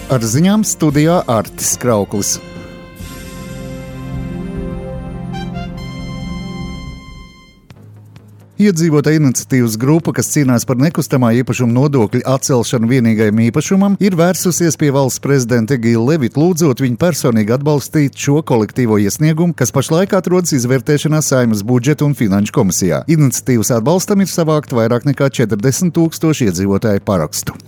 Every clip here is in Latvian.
Ar ziņām studijā Artis Krauklis. Iedzīvotāju iniciatīvas grupa, kas cīnās par nekustamā īpašuma nodokļa atcelšanu vienīgajam īpašumam, ir vērsusies pie valsts prezidenta Egīla Levita, lūdzot viņu personīgi atbalstīt šo kolektīvo iesniegumu, kas pašlaik atrodas izvērtēšanā Saeimas budžeta un finanšu komisijā. Iniciatīvas atbalstam ir savākt vairāk nekā 40,000 iedzīvotāju parakstu.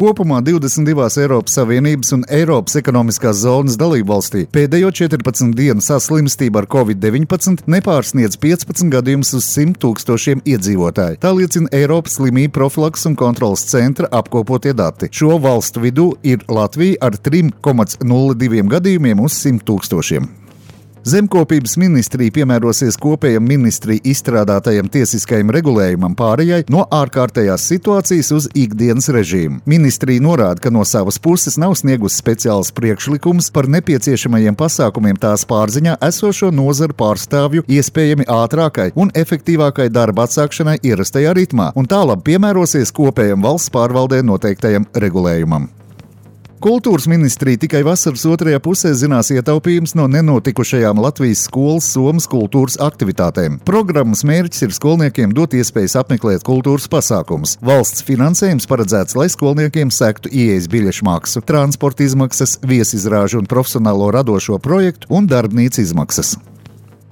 Kopumā 22 Eiropas Savienības un Eiropas ekonomiskās zonas dalībvalstī pēdējo 14 dienu saslimstība ar Covid-19 nepārsniedz 15 gadījumus uz 100,000 iedzīvotāju. Tā liecina Eiropas slimību profilakses un kontrolas centra apkopotie dati. Šo valstu vidū ir Latvija ar 3,02 gadījumiem uz 100,000. Zemkopības ministrija piemērosies kopējam ministriju izstrādātajam tiesiskajam regulējumam pārējai no ārkārtējās situācijas uz ikdienas režīmu. Ministrija norāda, ka no savas puses nav sniegusi speciāls priekšlikums par nepieciešamajiem pasākumiem tās pārziņā esošo nozaru pārstāvju iespējami ātrākai un efektīvākai darba atsākšanai ierastajā ritmā, un tālāk piemērosies kopējam valsts pārvaldē noteiktajam regulējumam. Kultūras ministrija tikai vasaras otrajā pusē zinās ietaupījums no nenotikušajām Latvijas skolas somas kultūras aktivitātēm. Programmas mērķis ir skolniekiem dot iespējas apmeklēt kultūras pasākumus. Valsts finansējums paredzēts, lai skolniekiem sektu ieejas biļešu maksu, transporta izmaksas, viesizrāžu un profesionālo radošo projektu un darbnīcu izmaksas.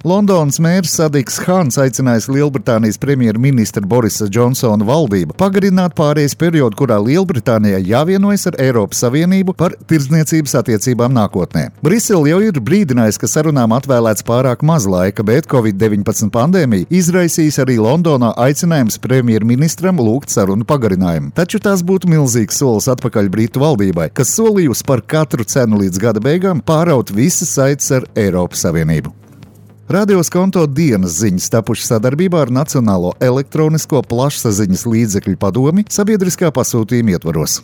Londonas mērs Sadiks Khans aicinājis Lielbritānijas premjerministra Borisa Džonsona valdību pagarināt pārejas periodu, kurā Lielbritānijai jāvienojas ar Eiropas Savienību par tirdzniecības attiecībām nākotnē. Brisele jau ir brīdinājusi, ka sarunām atvēlēts pārāk maz laika, bet Covid-19 pandēmija izraisīs arī Londonā aicinājums premjerministram lūgt sarunu pagarinājumu. Taču tās būtu milzīgs solis atpakaļ Britu valdībai, kas solījusi par katru cenu līdz gada beigām pāraut visas saites ar Eiropas Savienību. Radio Skonto dienas ziņas tapušas sadarbībā ar Nacionālo elektronisko plašsaziņas līdzekļu padomi sabiedriskā pasūtījuma ietvaros.